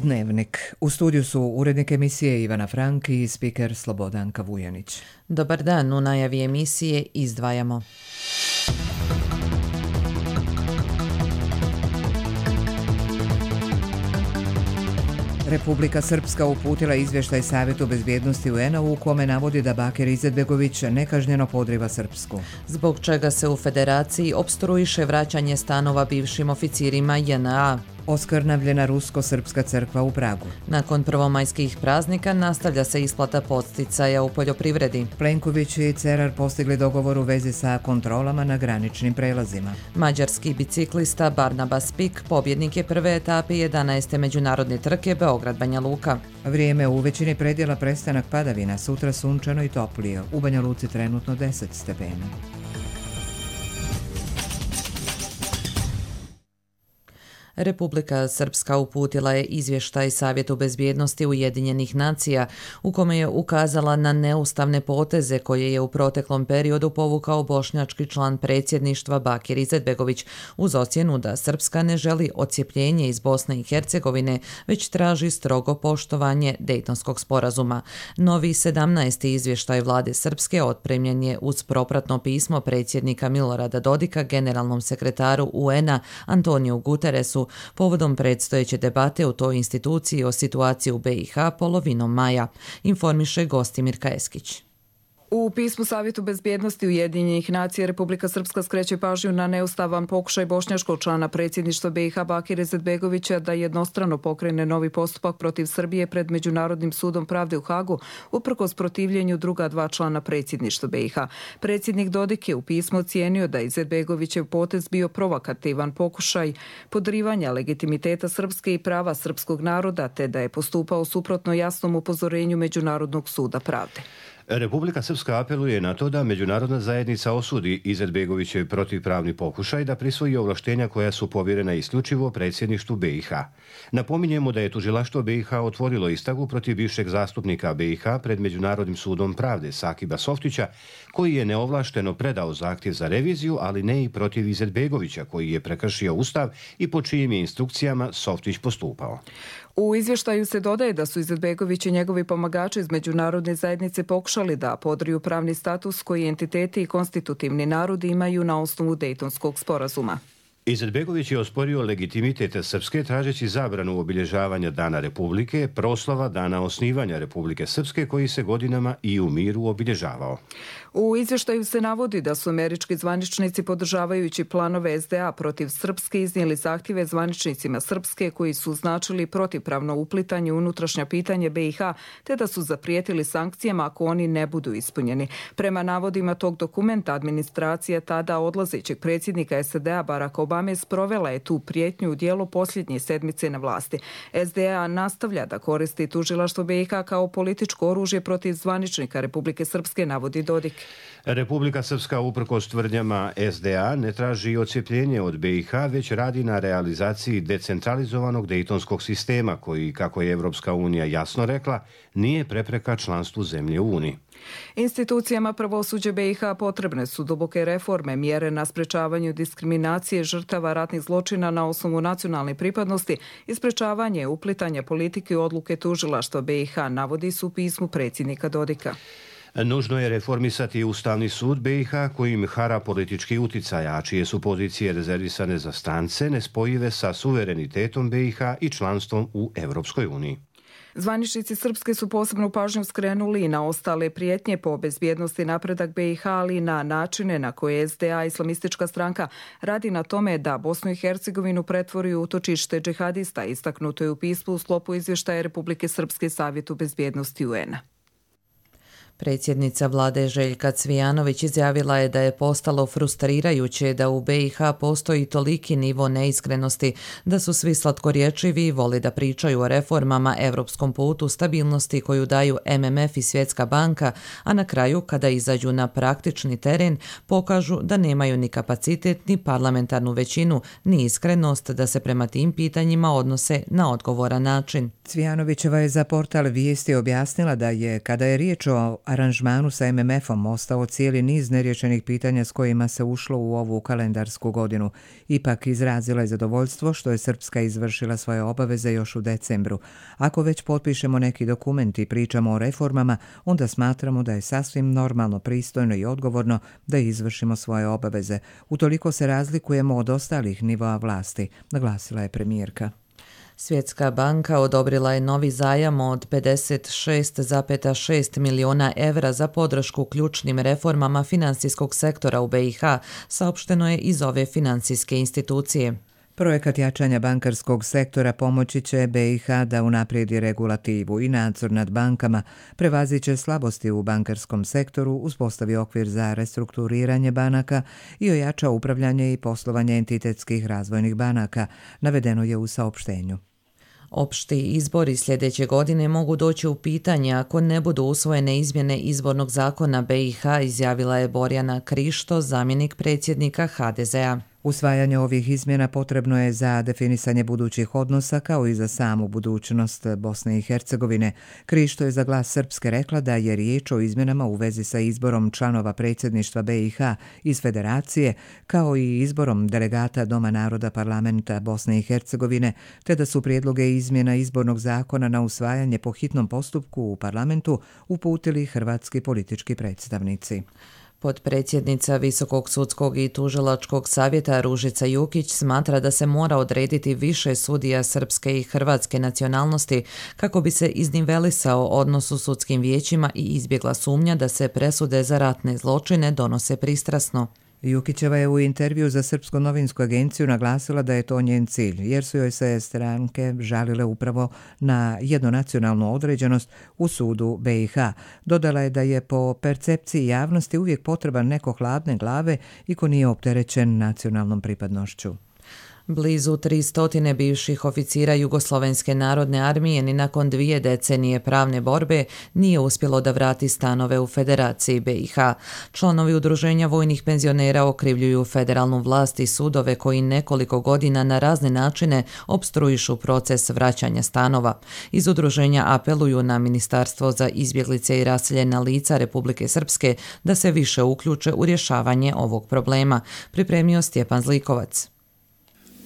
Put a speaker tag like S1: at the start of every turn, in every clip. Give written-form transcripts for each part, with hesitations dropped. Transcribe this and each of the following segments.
S1: Dnevnik. U studiju su urednik emisije Ivana Frank i spiker Slobodanka Vujanić.
S2: Dobar dan, u najavi emisije izdvajamo.
S1: Republika Srpska uputila izvještaj Savjetu bezbjednosti UN-a u kome navodi da Bakir Izetbegović nekažnjeno podriva Srpsku.
S2: Zbog čega se u Federaciji opstruiše vraćanje stanova bivšim oficirima JNA.
S1: Oskrnavljena rusko-srpska crkva u Pragu.
S2: Nakon prvomajskih praznika nastavlja se isplata podsticaja u poljoprivredi.
S1: Plenković i Cerar postigli dogovor u vezi sa kontrolama na graničnim prelazima.
S2: Mađarski biciklista Barnabas Pik pobjednik je prve etape 11. međunarodne trke Beograd-Banja Luka.
S1: Vrijeme u većini predjela prestanak padavina, sutra sunčano i toplije. U Banja Luci trenutno 10 stepena.
S2: Republika Srpska uputila je izvještaj Savjetu bezbjednosti Ujedinjenih nacija u kome je ukazala na neustavne poteze koje je u proteklom periodu povukao bošnjački član predsjedništva Bakir Izetbegović uz ocjenu da Srpska ne želi odcjepljenje iz Bosne i Hercegovine, već traži strogo poštovanje Dejtonskog sporazuma. Novi 17. izvještaj vlade Srpske otpremljen je uz propratno pismo predsjednika Milorada Dodika generalnom sekretaru UN-a Antoniju Guteresu povodom predstojeće debate u toj instituciji o situaciji u BiH polovinom maja, informiše Gostimir Kajeskić.
S3: U pismu Savjetu bezbjednosti Ujedinjenih nacija Republika Srpska skreće pažnju na neustavan pokušaj bošnjačkog člana predsjedništva BiH Bakira Izetbegovića da jednostrano pokrene novi postupak protiv Srbije pred Međunarodnim sudom pravde u Hagu uprkos protivljenju druga dva člana predsjedništva BiH. Predsjednik Dodik je u pismu ocijenio da Izetbegovićev potez bio provokativan pokušaj podrivanja legitimiteta Srpske i prava srpskog naroda, te da je postupao suprotno jasnom upozorenju Međunarodnog suda pravde.
S4: Republika Srpska apeluje na to da međunarodna zajednica osudi Izetbegovićev protivpravni pokušaj da prisvoji ovlaštenja koja su povjerena isključivo predsjedništvu BiH. Napominjemo da je tužilaštvo BiH otvorilo istragu protiv bivšeg zastupnika BiH pred Međunarodnim sudom pravde Sakiba Softića, koji je neovlašteno predao zahtjev za reviziju, ali ne i protiv Izetbegovića, koji je prekršio ustav i po čijim je instrukcijama Softić postupao.
S3: U izvještaju se dodaje da su Izetbegović i njegovi pomagači iz međunarodne zajednice pokušali da podriju pravni status koji entiteti i konstitutivni narodi imaju na osnovu Dejtonskog sporazuma.
S4: Izetbegović je osporio legitimitet Srpske tražeći zabranu obilježavanja Dana Republike, proslava Dana osnivanja Republike Srpske koji se godinama i u miru obilježavao.
S3: U izvještaju se navodi da su američki zvaničnici podržavajući planove SDA protiv Srpske iznijeli zahtjeve zvaničnicima Srpske koji su značili protivpravno uplitanje u unutrašnja pitanje BiH, te da su zaprijetili sankcijama ako oni ne budu ispunjeni. Prema navodima tog dokumenta, administracija tada odlazećeg predsjednika SAD-a Baracka Obame sprovela je tu prijetnju u dijelu posljednje sedmice na vlasti. SDA nastavlja da koristi tužilaštvo BiH kao političko oružje protiv zvaničnika Republike Srpske, navodi Dodik.
S4: Republika Srpska uprkos tvrdnjama SDA ne traži odcjepljenje od BiH, već radi na realizaciji decentralizovanog dejtonskog sistema koji, kako je Evropska unija jasno rekla, nije prepreka članstvu zemlje u Uniji.
S3: Institucijama pravosuđa BiH potrebne su duboke reforme, mjere na sprečavanju diskriminacije žrtava ratnih zločina na osnovu nacionalne pripadnosti i sprečavanje uplitanja politike u odluke tužilaštva BiH, navodi su u pismu predsjednika Dodika.
S4: Nužno je reformisati Ustavni sud BiH kojim hara politički uticaj, a čije su pozicije rezervisane za strance nespojive sa suverenitetom BiH i članstvom u Evropskoj uniji.
S3: Zvaničnici Srpske su posebnu pažnju skrenuli i na ostale prijetnje po bezbjednosti napredak BiH, ali i na načine na koje SDA, islamistička stranka, radi na tome da Bosnu i Hercegovinu pretvori u utočište džihadista, istaknuto je u pismu u sklopu izvještaja Republike Srpske Savjetu bezbjednosti UN-a.
S2: Predsjednica vlade Željka Cvijanović izjavila je da je postalo frustrirajuće da u BiH postoji toliki nivo neiskrenosti, da su svi slatkorječivi i voli da pričaju o reformama, evropskom putu, stabilnosti koju daju MMF i Svjetska banka, a na kraju, kada izađu na praktični teren, pokažu da nemaju ni kapacitet, ni parlamentarnu većinu, ni iskrenost da se prema tim pitanjima odnose na odgovoran način.
S1: Cvijanovićeva je za portal Vijesti objasnila da je, kada je riječ o aranžmanu sa MMF-om, ostao cijeli niz neriješenih pitanja s kojima se ušlo u ovu kalendarsku godinu. Ipak izrazila je zadovoljstvo što je Srpska izvršila svoje obaveze još u decembru. Ako već potpišemo neki dokument i pričamo o reformama, onda smatramo da je sasvim normalno, pristojno i odgovorno da izvršimo svoje obaveze. Utoliko se razlikujemo od ostalih nivoa vlasti, naglasila je premijerka.
S2: Svjetska banka odobrila je novi zajam od 56,6 milijuna evra za podršku ključnim reformama financijskog sektora u BiH, saopšteno je iz ove financijske institucije.
S1: Projekat jačanja bankarskog sektora pomoći će BiH da unaprijedi regulativu i nadzor nad bankama, prevaziće slabosti u bankarskom sektoru, uspostavi okvir za restrukturiranje banaka i ojača upravljanje i poslovanje entitetskih razvojnih banaka, navedeno je u saopštenju.
S2: Opšti izbori sljedeće godine mogu doći u pitanje ako ne budu usvojene izmjene izbornog zakona BiH, izjavila je Borjana Krišto, zamjenik predsjednika HDZ-a.
S1: Usvajanje ovih izmjena potrebno je za definisanje budućih odnosa kao i za samu budućnost Bosne i Hercegovine. Krišto je za Glas Srpske rekla da je riječ o izmjenama u vezi sa izborom članova predsjedništva BiH iz Federacije, kao i izborom delegata Doma naroda parlamenta Bosne i Hercegovine, te da su prijedloge izmjena izbornog zakona na usvajanje po hitnom postupku u parlamentu uputili hrvatski politički predstavnici.
S2: Potpredsjednica Visokog sudskog i tužilačkog savjeta Ružica Jukić smatra da se mora odrediti više sudija srpske i hrvatske nacionalnosti kako bi se iznivelisao odnos u sudskim vijećima i izbjegla sumnja da se presude za ratne zločine donose pristrasno.
S1: Jukićeva je u intervju za Srpsku novinsku agenciju naglasila da je to njen cilj, jer su joj se stranke žalile upravo na jednonacionalnu određenost u sudu BiH. Dodala je da je po percepciji javnosti uvijek potreban neko hladne glave i ko nije opterećen nacionalnom pripadnošću.
S2: Blizu 300 bivših oficira Jugoslovenske narodne armije ni nakon 2 decenije pravne borbe nije uspjelo da vrati stanove u Federaciji BiH. Članovi udruženja vojnih penzionera okrivljuju federalnu vlast i sudove koji nekoliko godina na razne načine opstruišu proces vraćanja stanova. Iz udruženja apeluju na Ministarstvo za izbjeglice i raseljena lica Republike Srpske da se više uključe u rješavanje ovog problema, pripremio Stjepan Zlikovac.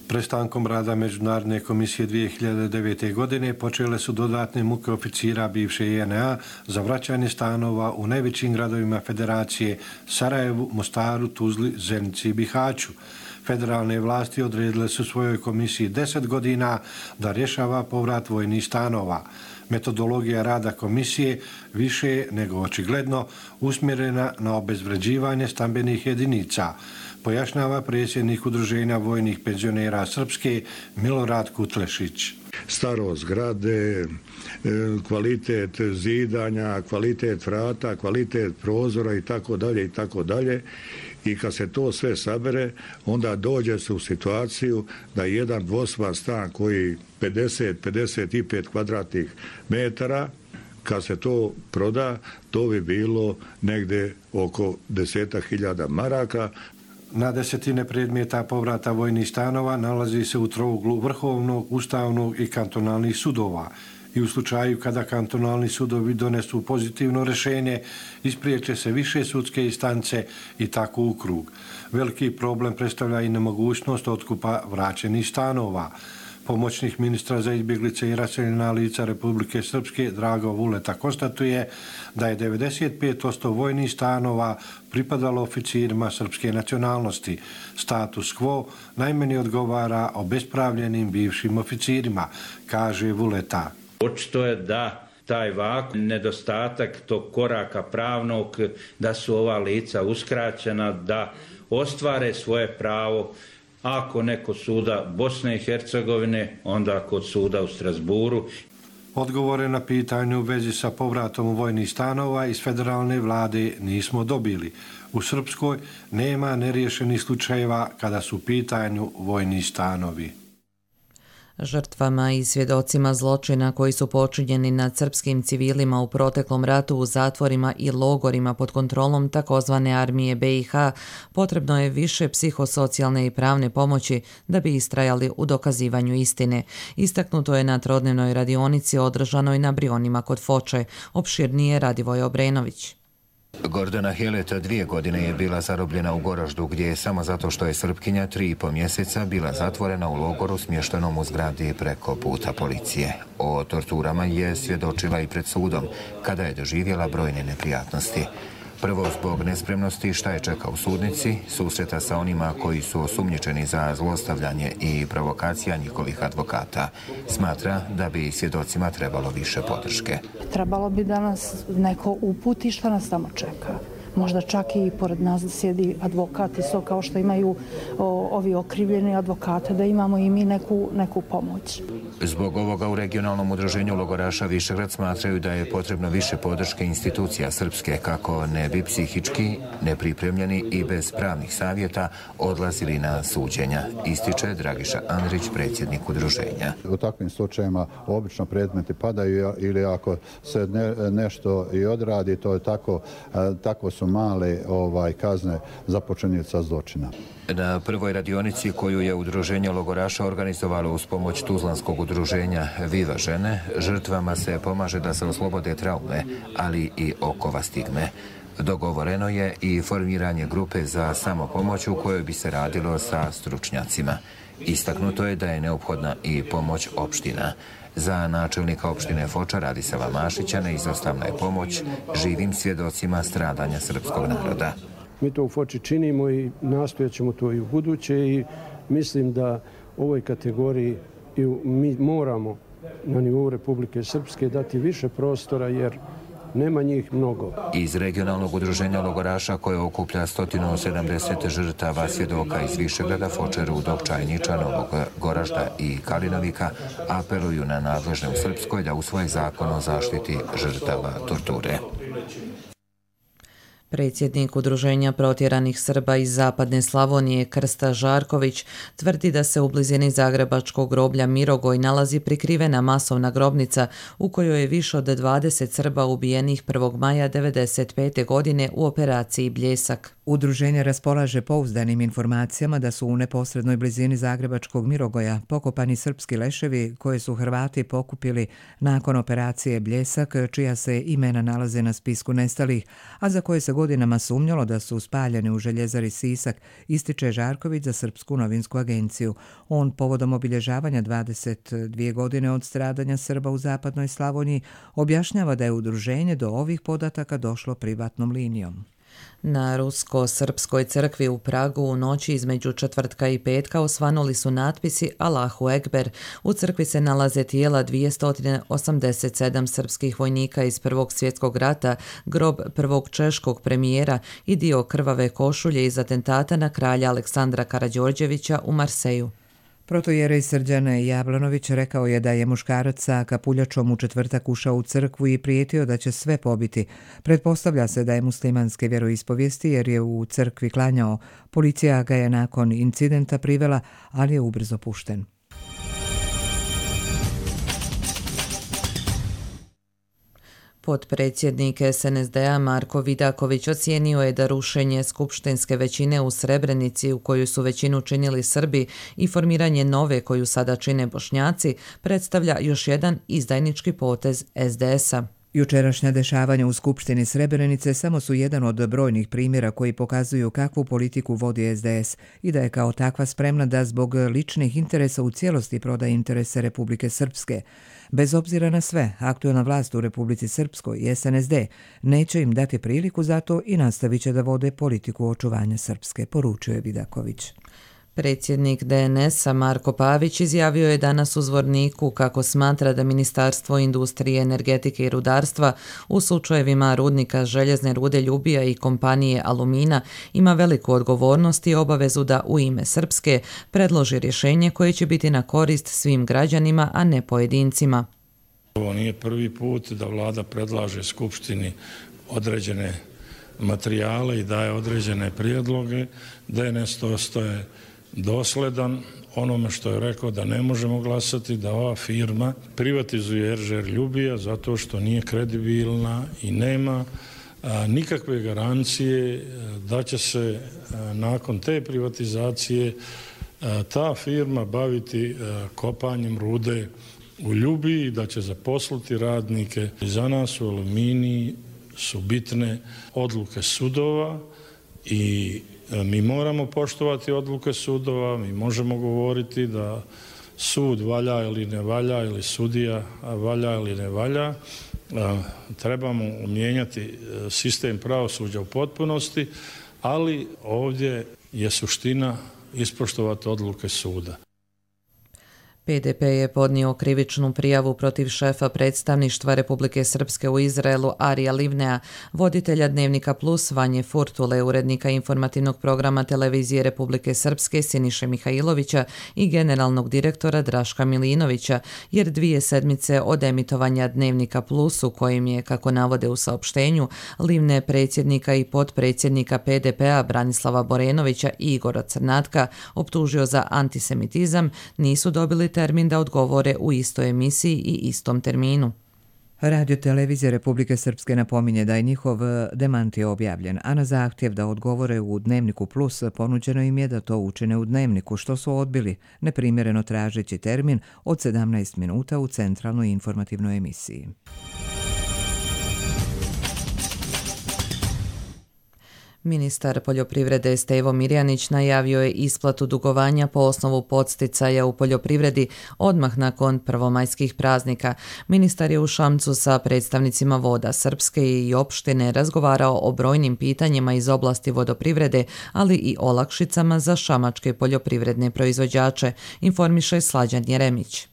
S5: Prestankom rada Međunarodne komisije 2009. godine počele su dodatne muke oficira bivše JNA za vraćanje stanova u najvećim gradovima Federacije Sarajevu, Mostaru, Tuzli, Zenici i Bihaću. Federalne vlasti odredile su svojoj komisiji 10 godina da rješava povrat vojnih stanova. Metodologija rada komisije više je nego očigledno usmjerena na obezvređivanje stambenih jedinica, pojašnjava predsjednik udruženja vojnih penzionera Srpske Milorad Kutlešić.
S6: Starost zgrade, kvalitet zidanja, kvalitet vrata, kvalitet prozora i tako dalje. I kad se to sve sabere, onda dođe se u situaciju da jedan dvostan stan koji 50-55 kvadratnih metara, kad se to proda, to bi bilo negde oko 10.000 maraka.
S5: Na desetine predmeta povrata vojnih stanova nalazi se u trouglu Vrhovnog, Ustavnog i kantonalnih sudova. I u slučaju kada kantonalni sudovi donesu pozitivno rješenje, ispriječe se više sudske instance i tako u krug. Veliki problem predstavlja i nemogućnost otkupa vraćenih stanova. Pomoćnik ministra za izbjeglice i raseljena lica Republike Srpske Drago Vuleta konstatuje da je 95% vojnih stanova pripadalo oficirima srpske nacionalnosti. Status quo najmanje odgovara obespravljenim bivšim oficirima, kaže Vuleta.
S7: Očito je da taj vakuum, nedostatak tog koraka pravnog, da su ova lica uskraćena da ostvare svoje pravo, ako neko suda Bosne i Hercegovine, onda kod suda u Strasburu.
S5: Odgovore na pitanje u vezi sa povratom vojnih stanova iz federalne vlade nismo dobili. U Srpskoj nema neriješenih slučajeva kada su u pitanju vojni stanovi.
S2: Žrtvama i svjedocima zločina koji su počinjeni nad srpskim civilima u proteklom ratu u zatvorima i logorima pod kontrolom takozvane armije BiH potrebno je više psihosocijalne i pravne pomoći da bi istrajali u dokazivanju istine. Istaknuto je na trodnevnoj radionici održanoj na Brionima kod Foče. Opširnije Radivoj Obrenović.
S8: Gordana Heleta 2 godine je bila zarobljena u Goraždu, gdje je samo zato što je Srpkinja 3,5 mjeseca bila zatvorena u logoru smještenom u zgradi preko puta policije. O torturama je svjedočila i pred sudom, kada je doživjela brojne neprijatnosti. Prvo zbog nespremnosti šta je čeka u sudnici, susreta sa onima koji su osumnjičeni za zlostavljanje i provokacija njihovih advokata. Smatra da bi svjedocima trebalo više podrške.
S9: Trebalo bi da nas neko uputi šta nas tamo čeka. Možda čak i pored nas da sjedi advokat isto kao što imaju ovi okrivljeni advokate, da imamo i mi neku pomoć.
S8: Zbog ovoga u regionalnom udruženju logoraša Višegrad smatraju da je potrebno više podrške institucija srpske kako ne bi psihički, nepripremljeni i bez pravnih savjeta odlazili na suđenja, ističe Dragiša Andrić, predsjednik udruženja.
S10: U takvim slučajevima obično predmeti padaju ili ako se nešto i odradi, to je tako su male kazne za počinioca zločina.
S8: Na prvoj radionici koju je udruženje logoraša organizovalo uz pomoć tuzlanskog udruženja Viva žene, žrtvama se pomaže da se oslobode traume, ali i okova stigme. Dogovoreno je i formiranje grupe za samopomoć u kojoj bi se radilo sa stručnjacima. Istaknuto je da je neophodna i pomoć opština. Za načelnika opštine Foča Radisava Mašića neizostavna je pomoć živim svjedocima stradanja srpskog naroda.
S11: Mi to u Foči činimo i nastojat ćemo to i u buduće i mislim da ovoj kategoriji mi moramo na nivou Republike Srpske dati više prostora jer nema njih mnogo.
S8: Iz regionalnog udruženja logoraša koje okuplja 170 žrtava svjedoka iz Višegrada, Foče, Rudog, Čajniča, Novog Goražda i Kalinovika apeluju na nadležne u Srpskoj da usvoje zakon o zaštiti žrtava torture.
S2: Predsjednik Udruženja protjeranih Srba iz Zapadne Slavonije Krsta Žarković tvrdi da se u blizini zagrebačkog groblja Mirogoj nalazi prikrivena masovna grobnica u kojoj je više od 20 Srba ubijenih 1. maja 1995. godine u operaciji Bljesak.
S1: Udruženje raspolaže pouzdanim informacijama da su u neposrednoj blizini zagrebačkog Mirogoja pokopani srpski leševi koje su Hrvati pokupili nakon operacije Bljesak, čija se imena nalaze na spisku nestalih, a za koje se godinama sumnjalo da su spaljeni u željezari Sisak, ističe Žarković za Srpsku novinsku agenciju. On povodom obilježavanja 22 godine od stradanja Srba u zapadnoj Slavoniji objašnjava da je udruženje do ovih podataka došlo privatnom linijom.
S2: Na Rusko-srpskoj crkvi u Pragu u noći između četvrtka i petka osvanuli su natpisi Allahu Ekber. U crkvi se nalaze tijela 287 srpskih vojnika iz Prvog svjetskog rata, grob prvog češkog premijera i dio krvave košulje iz atentata na kralja Aleksandra Karađorđevića u Marseju.
S1: Protojerej Srđan Jablanović rekao je da je muškarac sa kapuljačom u četvrtak ušao u crkvu i prijetio da će sve pobiti. Pretpostavlja se da je muslimanske vjeroispovijesti jer je u crkvi klanjao. Policija ga je nakon incidenta privela, ali je ubrzo pušten.
S2: Potpredsjednik SNSD-a Marko Vidaković ocijenio je da rušenje skupštinske većine u Srebrenici u koju su većinu činili Srbi i formiranje nove koju sada čine Bošnjaci predstavlja još jedan izdajnički potez SDS-a.
S1: Jučerašnja dešavanja u Skupštini Srebrenice samo su jedan od brojnih primjera koji pokazuju kakvu politiku vodi SDS i da je kao takva spremna da zbog ličnih interesa u cijelosti proda interese Republike Srpske. Bez obzira na sve, aktuelna vlast u Republici Srpskoj i SNSD neće im dati priliku za to i nastavit će da vode politiku očuvanja Srpske, poručuje Vidaković.
S2: Predsjednik DNS-a Marko Pavić izjavio je danas u Zvorniku kako smatra da Ministarstvo industrije, energetike i rudarstva u slučajevima rudnika željezne rude Ljubija i kompanije Alumina ima veliku odgovornost i obavezu da u ime Srpske predloži rješenje koje će biti na korist svim građanima, a ne pojedincima.
S12: Ovo nije prvi put da vlada predlaže Skupštini određene materijale i daje određene prijedloge. DNS to ostaje dosledan onome što je rekao da ne možemo glasati da ova firma privatizuje Eržer Ljubija zato što nije kredibilna i nema nikakve garancije da će se nakon te privatizacije ta firma baviti kopanjem rude u Ljubiji, da će zaposliti radnike. Za nas u Aluminiji su bitne odluke sudova i mi moramo poštovati odluke sudova, mi možemo govoriti da sud valja ili ne valja ili sudija valja ili ne valja. Trebamo mijenjati sistem pravosuđa u potpunosti, ali ovdje je suština ispoštovati odluke suda.
S2: PDP je podnio krivičnu prijavu protiv šefa predstavništva Republike Srpske u Izraelu Arija Livnea, voditelja Dnevnika Plus Vanje Furtule, urednika informativnog programa Televizije Republike Srpske Siniše Mihajlovića i generalnog direktora Draška Milinovića, jer 2 sedmice od emitovanja Dnevnika Plus, u kojim je, kako navode u saopštenju, Livne predsjednika i potpredsjednika PDP-a Branislava Borenovića i Igora Crnatka optužio za antisemitizam, nisu dobili termin da odgovore u istoj emisiji i istom terminu.
S1: Radio Televizija Republike Srpske napominje da je njihov demanti objavljen, a na zahtjev da odgovore u Dnevniku Plus ponuđeno im je da to učine u Dnevniku, što su odbili, neprimjereno tražeći termin od 17 minuta u centralnoj informativnoj emisiji.
S2: Ministar poljoprivrede Stevo Mirjanić najavio je isplatu dugovanja po osnovu podsticaja u poljoprivredi odmah nakon prvomajskih praznika. Ministar je u Šamcu sa predstavnicima Voda Srpske i opštine razgovarao o brojnim pitanjima iz oblasti vodoprivrede, ali i olakšicama za šamačke poljoprivredne proizvođače, informiše Slađan Jeremić.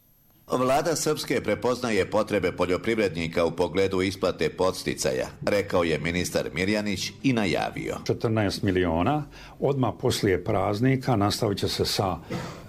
S13: Vlada Srpske prepoznaje potrebe poljoprivrednika u pogledu isplate podsticaja, rekao je ministar Mirjanić i najavio.
S14: 14 miliona, odmah poslije praznika nastavit će se sa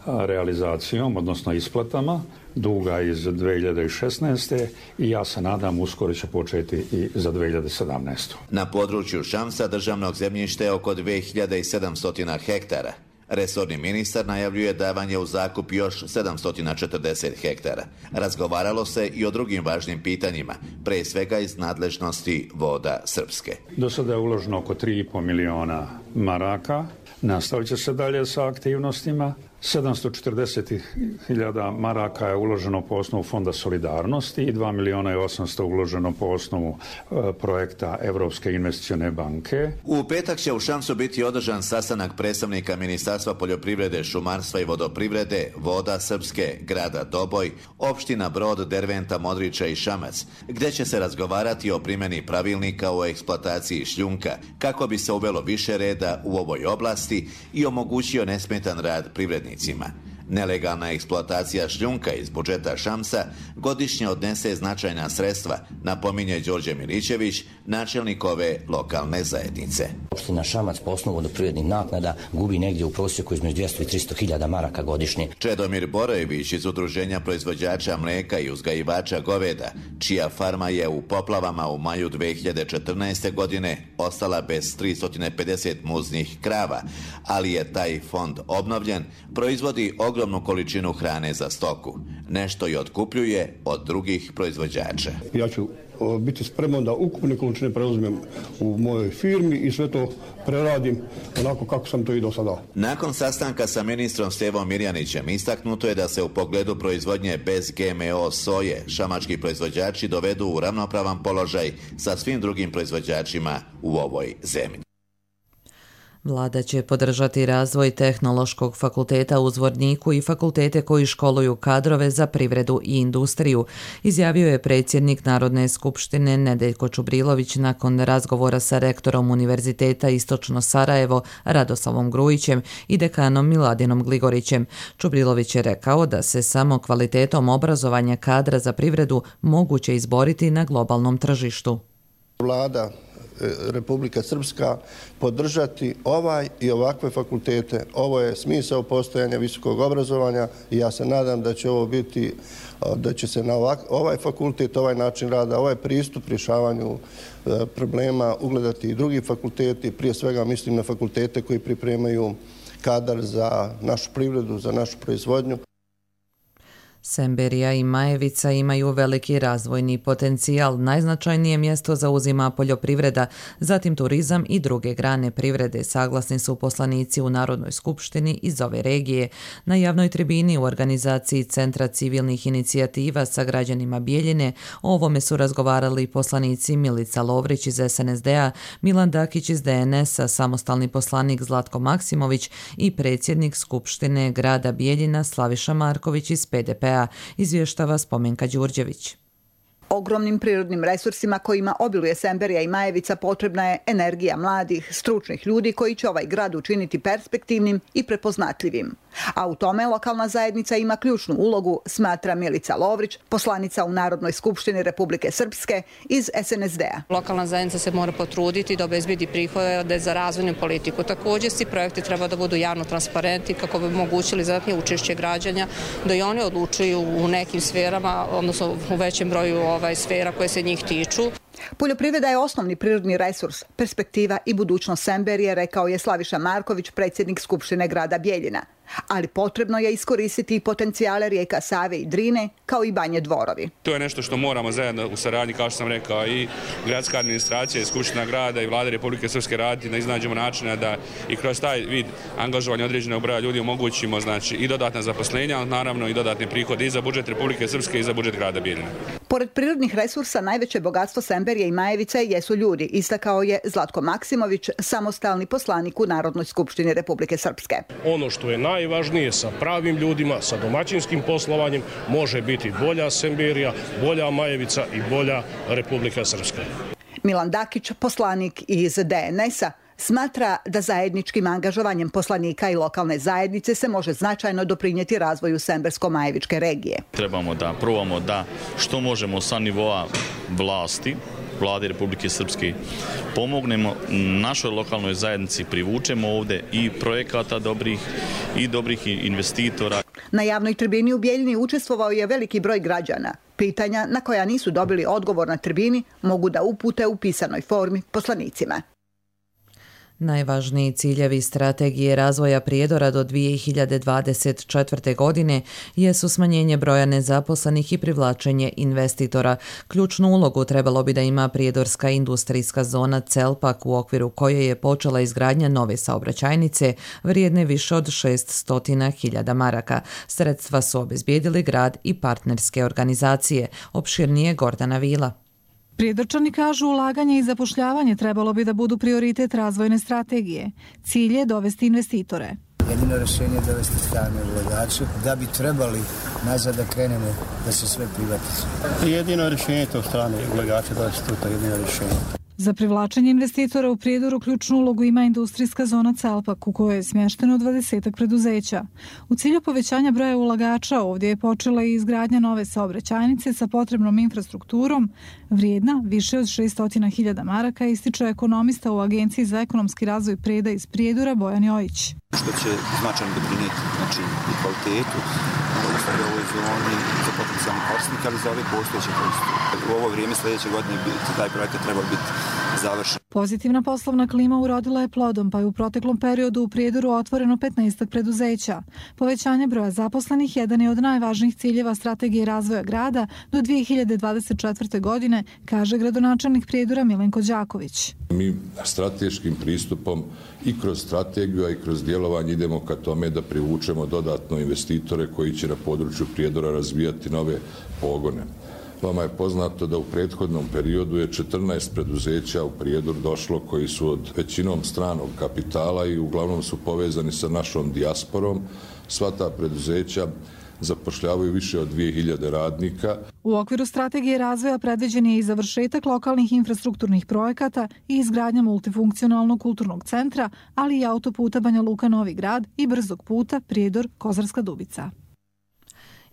S14: realizacijom, odnosno isplatama duga iz 2016. i ja se nadam uskoro će početi i za 2017.
S13: Na području Šamsa državnog zemljišta je oko 2700 hektara. Resorni ministar najavljuje davanje u zakup još 740 hektara. Razgovaralo se i o drugim važnim pitanjima, pre svega iz nadležnosti Voda Srpske.
S14: Do sada je uloženo oko 3,5 miliona maraka. Nastavit će se dalje sa aktivnostima. 740.000 maraka je uloženo po osnovu Fonda solidarnosti i 2 miliona i 800 uloženo po osnovu projekta Evropske investicione banke.
S13: U petak će u Šamsu biti održan sastanak predstavnika Ministarstva poljoprivrede, šumarstva i vodoprivrede, Voda Srpske, grada Doboj, opština Brod, Derventa, Modriča i Šamac, gdje će se razgovarati o primjeni pravilnika o eksploataciji šljunka, kako bi se uvelo više reda u ovoj oblasti i omogućio nesmetan rad privrednika. Nelegalna eksploatacija šljunka iz budžeta Šamsa godišnje odnese značajna sredstva, napominje Đorđe Milićević, načelnik ove lokalne zajednice.
S15: Opština Šamac po osnovu vodoprivrednih naknada gubi negdje u prosjeku između 200 i 300.000 maraka godišnje.
S13: Čedomir Borojević iz Udruženja proizvođača mlijeka i uzgajivača goveda, čija farma je u poplavama u maju 2014. godine ostala bez 350 muznih krava, ali je taj fond obnovljen, proizvodi ogromnu količinu hrane za stoku. Nešto i otkupljuje od drugih proizvođača.
S16: Ja ću biti spreman da ukupne količine preuzmem u mojoj firmi i sve to preradim onako kako sam to i do sada.
S13: Nakon sastanka sa ministrom Stevom Mirjanićem istaknuto je da se u pogledu proizvodnje bez GMO soje šamački proizvođači dovedu u ravnopravan položaj sa svim drugim proizvođačima u ovoj zemlji.
S2: Vlada će podržati razvoj Tehnološkog fakulteta u Zvorniku i fakultete koji školuju kadrove za privredu i industriju, izjavio je predsjednik Narodne skupštine Nedeljko Čubrilović nakon razgovora sa rektorom Univerziteta Istočno Sarajevo Radoslavom Grujićem i dekanom Miladinom Gligorićem. Čubrilović je rekao da se samo kvalitetom obrazovanja kadra za privredu moguće izboriti na globalnom tržištu.
S17: Vlada Republika Srpska podržati ovaj i ovakve fakultete. Ovo je smisao postojanja visokog obrazovanja i ja se nadam da će ovo biti, da će se na ovaj fakultet, ovaj način rada, ovaj pristup rješavanju problema ugledati i drugi fakulteti. Prije svega mislim na fakultete koji pripremaju kadar za našu privredu, za našu proizvodnju.
S2: Semberija i Majevica imaju veliki razvojni potencijal. Najznačajnije mjesto zauzima poljoprivreda, zatim turizam i druge grane privrede, saglasni su poslanici u Narodnoj skupštini iz ove regije. Na javnoj tribini u organizaciji Centra civilnih inicijativa sa građanima Bijeljine o ovome su razgovarali poslanici Milica Lovrić iz SNSD-a, Milan Dakić iz DNS-a, samostalni poslanik Zlatko Maksimović i predsjednik Skupštine grada Bijeljina Slaviša Marković iz PDP-a, izvještava Spomenka Đurđević.
S18: Ogromnim prirodnim resursima kojima obiluje Semberija i Majevica potrebna je energija mladih, stručnih ljudi koji će ovaj grad učiniti perspektivnim i prepoznatljivim. A u tome lokalna zajednica ima ključnu ulogu, smatra Milica Lovrić, poslanica u Narodnoj skupštini Republike Srpske iz SNSD-a.
S19: Lokalna zajednica se mora potruditi da obezbedi prihode za razvojnu politiku. Također svi projekti treba da budu javno transparentni kako bi omogućili zadatnije učešće građana, da i oni odlučuju u nekim sferama, odnosno u većem broju sfera koje se njih tiču.
S18: Poljoprivreda je osnovni prirodni resurs, perspektiva i budućnost Semberije, rekao je Slaviša Marković, predsjednik Skupštine grada Bijeljina. Ali potrebno je iskoristiti i potencijale rijeka Save i Drine, kao i Banje Dvorovi.
S20: To je nešto što moramo zajedno u saradnji, kao što sam rekao, i gradska administracija, i Skupština grada i Vlade Republike Srpske raditi da iznađemo načina da i kroz taj vid angažovanja određenog broja ljudi omogućimo i dodatna zaposlenja, ali naravno i dodatne prihode i za budžet Republike Srpske i za budžet grada Bijeljina.
S18: Pored prirodnih resursa, najveće bogatstvo Semberije i Majevice jesu ljudi, istakao je Zlatko Maksimović, samostalni poslanik u Narodnoj skupštini Republike Srpske.
S21: Ono što je najvažnije, sa pravim ljudima, sa domaćinskim poslovanjem može biti bolja Semberija, bolja Majevica i bolja Republika Srpska.
S18: Milan Dakić, poslanik iz DNS-a, smatra da zajedničkim angažovanjem poslanika i lokalne zajednice se može značajno doprinijeti razvoju Sembersko-Majevičke regije.
S22: Trebamo da probamo da što možemo sa nivoa vlasti, Vlade Republike Srpske, pomognemo našoj lokalnoj zajednici, privučemo ovdje i projekata dobrih investitora.
S18: Na javnoj tribini u Bijeljini učestvovao je veliki broj građana. Pitanja na koja nisu dobili odgovor na tribini mogu da upute u pisanoj formi poslanicima.
S2: Najvažniji ciljevi strategije razvoja Prijedora do 2024. godine jesu smanjenje broja nezaposlenih i privlačenje investitora. Ključnu ulogu trebalo bi da ima prijedorska industrijska zona Celpak, u okviru koje je počela izgradnja nove saobraćajnice vrijedne više od 600.000 maraka. Sredstva su obezbijedili grad i partnerske organizacije. Opširnije Gordana Vila.
S23: Prijedorčani kažu ulaganje i zapošljavanje trebalo bi da budu prioritet razvojne strategije. Cilj je dovesti investitore.
S24: Jedino rješenje je dovesti strane ulagače da bi trebali nazad da krenemo da se sve privatizuje.
S16: Jedino rješenje je to strane ulagače dovesti to jedino rješenje.
S23: Za privlačenje investitora u Prijedoru ključnu ulogu ima industrijska zona Celpak, u kojoj je smješteno 20 preduzeća. U cilju povećanja broja ulagača ovdje je počela i izgradnja nove saobraćajnice sa potrebnom infrastrukturom, vrijedna više od 600.000 maraka, ističe ekonomista u Agenciji za ekonomski razvoj Preda iz Prijedora Bojan Jojić.
S25: Što će značajno doprinijeti i kvalitetu u ovoj zoni za potencijalni korisnik, ali za ove postojeće korisnike. U ovo vrijeme sljedeće godine taj projekat treba biti završen.
S23: Pozitivna poslovna klima urodila je plodom, pa je u proteklom periodu u Prijedoru otvoreno 15 preduzeća. Povećanje broja zaposlenih jedan je od najvažnijih ciljeva strategije razvoja grada do 2024. godine, kaže gradonačelnik Prijedora Milenko Đaković.
S26: Mi strateškim pristupom i kroz strategiju, a i kroz djelovanje idemo ka tome da privučemo dodatno investitore koji će na području Prijedora razvijati nove pogone. Vama je poznato da u prethodnom periodu je 14 preduzeća u Prijedor došlo koji su od većinom stranog kapitala i uglavnom su povezani sa našom dijasporom. Sva ta preduzeća zapošljavaju više od 2000 radnika.
S23: U okviru strategije razvoja predviđen je i završetak lokalnih infrastrukturnih projekata i izgradnja multifunkcionalnog kulturnog centra, ali i autoputa Banja Luka Novi Grad i brzog puta Prijedor Kozarska Dubica.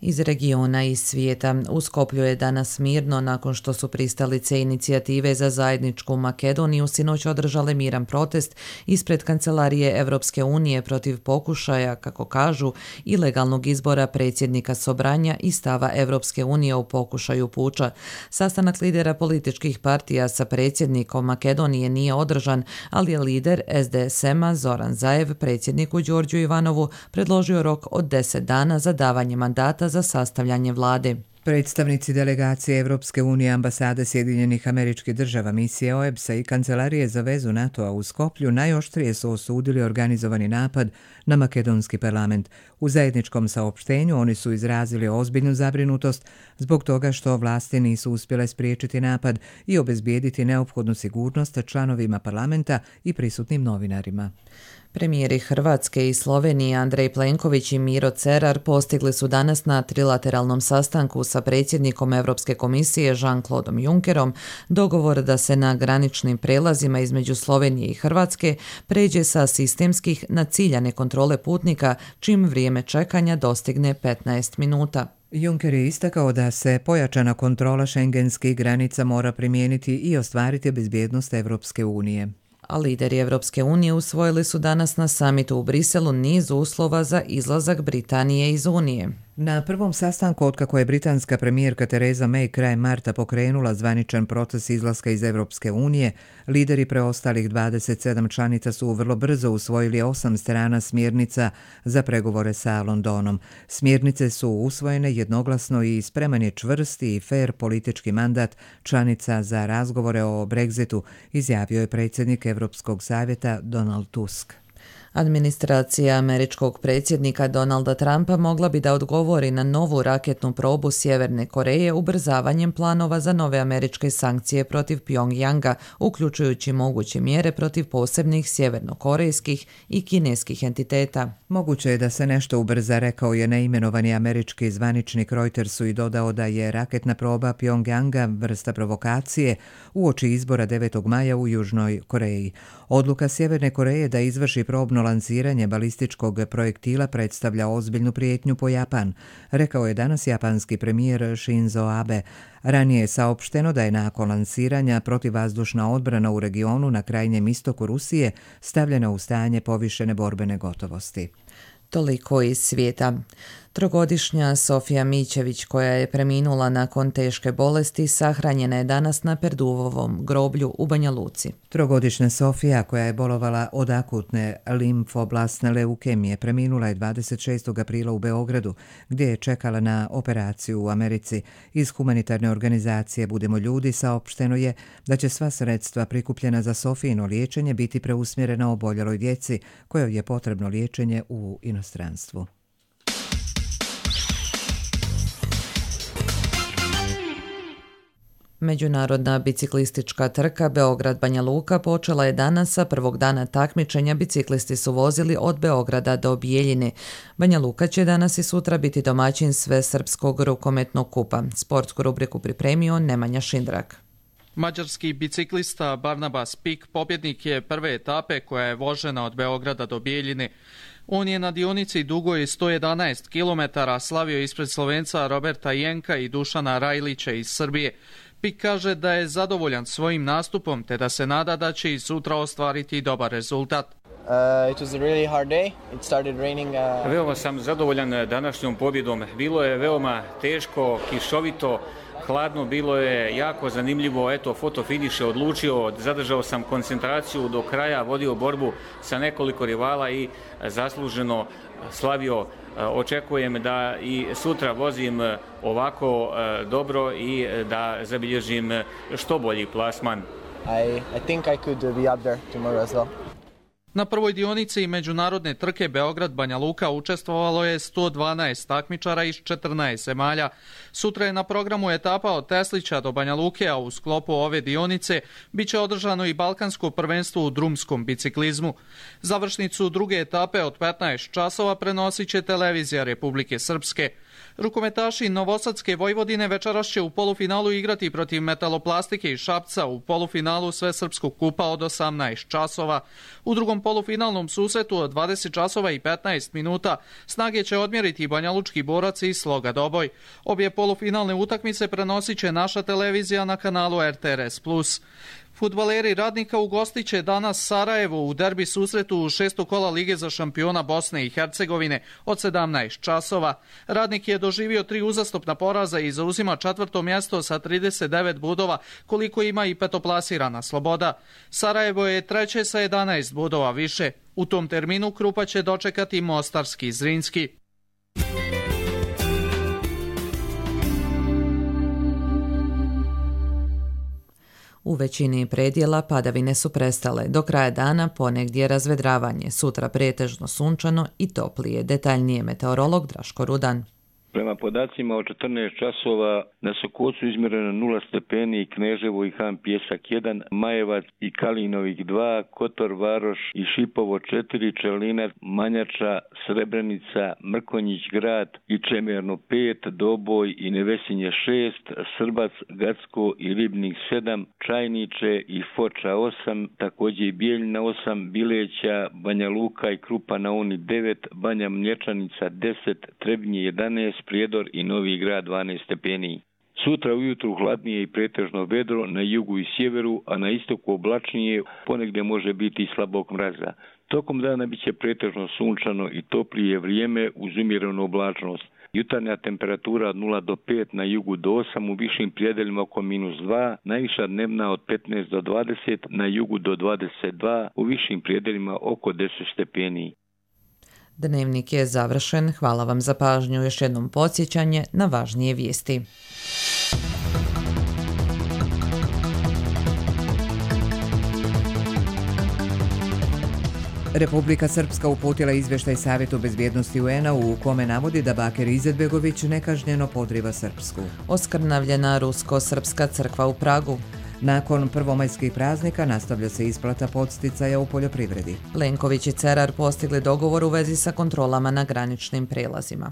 S2: Iz regiona i svijeta. U Skoplju je danas mirno nakon što su pristalice inicijative za zajedničku Makedoniju sinoć održale miran protest ispred kancelarije Evropske unije protiv pokušaja, kako kažu, ilegalnog izbora predsjednika Sobranja i stava Evropske unije u pokušaju puča. Sastanak lidera političkih partija sa predsjednikom Makedonije nije održan, ali je lider SDSM-a Zoran Zaev predsjedniku Đorđu Ivanovu predložio rok od 10 dana za davanje mandata za sastavljanje vlade.
S1: Predstavnici delegacije Evropske unije, ambasade Sjedinjenih Američkih Država, misije OEBS-a i Kancelarije za vezu NATO-a u Skoplju najoštrije su osudili organizovani napad na makedonski parlament. U zajedničkom saopštenju oni su izrazili ozbiljnu zabrinutost zbog toga što vlasti nisu uspjele spriječiti napad i obezbijediti neophodnu sigurnost članovima parlamenta i prisutnim novinarima.
S2: Premijeri Hrvatske i Slovenije Andrej Plenković i Miro Cerar postigli su danas na trilateralnom sastanku sa predsjednikom Europske komisije Jean-Claude Junckerom dogovor da se na graničnim prelazima između Slovenije i Hrvatske pređe sa sistemskih na ciljane kontrole putnika, čim vrijeme čekanja dostigne 15 minuta.
S1: Juncker je istakao da se pojačana kontrola šengenskih granica mora primijeniti i ostvariti bezbjednost Evropske unije.
S2: A lideri Evropske unije usvojili su danas na samitu u Briselu niz uslova za izlazak Britanije iz Unije.
S1: Na prvom sastanku otkako je britanska premijerka Theresa May krajem marta pokrenula zvaničan proces izlaska iz Evropske unije, lideri preostalih 27 članica su vrlo brzo usvojili 8 strana smjernica za pregovore sa Londonom. Smjernice su usvojene jednoglasno i spreman je čvrsti i fair politički mandat članica za razgovore o Brexitu, izjavio je predsjednik Europskog savjeta Donald Tusk.
S2: Administracija američkog predsjednika Donalda Trumpa mogla bi da odgovori na novu raketnu probu Sjeverne Koreje ubrzavanjem planova za nove američke sankcije protiv Pjongjanga, uključujući moguće mjere protiv posebnih sjevernokorejskih i kineskih entiteta.
S1: Moguće je da se nešto ubrza, rekao je neimenovani američki zvaničnik Reutersu i dodao da je raketna proba Pjongjanga vrsta provokacije uoči izbora 9. maja u Južnoj Koreji. Odluka Sjeverne Koreje da izvrši probno lansiranje balističkog projektila predstavlja ozbiljnu prijetnju po Japan, rekao je danas japanski premijer Shinzo Abe. Ranije je saopšteno da je nakon lansiranja protivvazdušna odbrana u regionu na krajnjem istoku Rusije stavljena u stanje povišene borbene gotovosti.
S2: Toliko iz svijeta. Trogodišnja Sofija Mićević, koja je preminula nakon teške bolesti, sahranjena je danas na Perduvovom groblju u Banja Luci.
S1: Trogodišnja Sofija, koja je bolovala od akutne limfoblastne leukemije, preminula je 26. aprila u Beogradu, gdje je čekala na operaciju u Americi. Iz humanitarne organizacije Budemo ljudi saopšteno je da će sva sredstva prikupljena za Sofijino liječenje biti preusmjerena oboljeloj djeci, kojoj je potrebno liječenje u inostranstvu.
S2: Međunarodna biciklistička trka Beograd-Banja Luka počela je danas, a prvog dana takmičenja biciklisti su vozili od Beograda do Bijeljine. Banja Luka će danas i sutra biti domaćin Svesrpskog rukometnog kupa. Sportsku rubriku pripremio Nemanja Šindrak.
S3: Mađarski biciklista Barnabas Pik pobjednik je prve etape koja je vožena od Beograda do Bijeljine. On je na dionici dugoj 111 km slavio ispred Slovenca Roberta Jenka i Dušana Rajlića iz Srbije. Pik kaže da je zadovoljan svojim nastupom te da se nada da će i sutra ostvariti dobar rezultat.
S4: Veoma sam zadovoljan današnjom pobjedom. Bilo je veoma teško, kišovito, hladno, bilo je jako zanimljivo. Eto, fotofiniš je odlučio, zadržao sam koncentraciju do kraja, vodio borbu sa nekoliko rivala i zasluženo slavio. Očekujem da i sutra vozim ovako dobro i da zabilježim što bolji plasman.
S3: I think I could be up there tomorrow as well. Na prvoj dionici međunarodne trke Beograd-Banja Luka učestvovalo je 112 takmičara iz 14 zemalja. Sutra je na programu etapa od Teslića do Banja Luke, a u sklopu ove dionice biće održano i balkansko prvenstvo u drumskom biciklizmu. Završnicu druge etape od 15 časova prenosit će televizija Republike Srpske. Rukometaši Novosadske Vojvodine večeras će u polufinalu igrati protiv Metaloplastike iz Šapca u polufinalu Svesrpskog kupa od 18 časova. U drugom polufinalnom susretu od 20 časova i 15 minuta snage će odmjeriti Banjalučki Borac i Sloga Doboj. Obje polufinalne utakmice prenosit će naša televizija na kanalu RTRS+. Fudbaleri Radnika ugostit će danas Sarajevo u derbi susretu u 6. kola Lige za šampiona Bosne i Hercegovine od 17 časova. Radnik je doživio 3 uzastopna poraza i zauzima 4. mjesto sa 39 bodova, koliko ima i petoplasirana Sloboda. Sarajevo je treće sa 11 bodova više. U tom terminu Krupa će dočekati Mostarski Zrinski.
S2: U većini predjela padavine su prestale. Do kraja dana ponegdje razvedravanje, sutra pretežno sunčano i toplije. Detaljnije meteorolog Draško Rudan.
S5: Prema podacima od 14 časova na Sokocu izmjereno 0 stepeni, Kneževo i Han Pjesak 1, Majevac i Kalinovik 2, Kotor, Varoš i Šipovo 4, Čelinac, Manjača, Srebrenica, Mrkonjić Grad i Čemerno 5, Doboj i Nevesinje 6, Srbac, Gacko i Ribnik 7, Čajniče i Foča 8, također i Bijeljina 8, Bileća, Banja Luka i Krupa na Uni 9, Banja Mlječanica 10, Trebnje 11, Prijedor i Novi Grad 12 stepeni. Sutra ujutru hladnije i pretežno vedro na jugu i sjeveru, a na istoku oblačnije, ponegdje može biti i slabog mraza. Tokom dana bit će pretežno sunčano i toplije vrijeme uz umjerenu oblačnost. Jutarnja temperatura od 0 do 5, na jugu do 8, u višim prijedeljima oko -2, najviša dnevna od 15 do 20, na jugu do 22, u višim prijedeljima oko 10 stepeni.
S2: Dnevnik je završen. Hvala vam za pažnju. Još jednom podsjećanje na važnije vijesti.
S1: Republika Srpska uputila izvještaj Savjetu bezbjednosti UN-a u kome navodi da Bakir Izetbegović nekažnjeno podriva Srpsku.
S2: Oskrnavljena Rusko-Srpska crkva u Pragu.
S1: Nakon prvomajskih praznika nastavlja se isplata podsticaja u poljoprivredi.
S2: Plenković i Cerar postigli dogovor u vezi sa kontrolama na graničnim prelazima.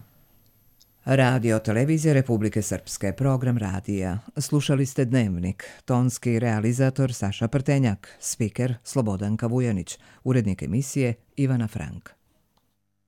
S1: Radio Televizija Republike Srpske, program radija. Slušali ste Dnevnik, tonski realizator Saša Prtenjak, spiker Slobodanka Vujanić, urednik emisije Ivana Frank.